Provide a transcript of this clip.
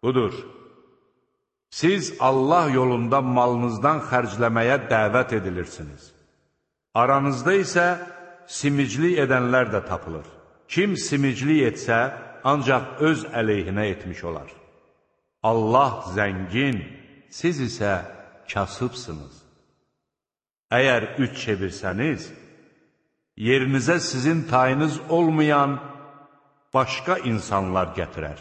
Budur, siz Allah yolunda malınızdan xərcləməyə dəvət edilirsiniz. Aranızda isə simiclik edənlər də tapılır. Kim simiclik etsə, ancaq öz əleyhinə etmiş olar. Allah zəngin, siz isə kasıbsınız. Əgər üç çevirsəniz, yerinizə sizin tayınız olmayan başqa insanlar gətirər.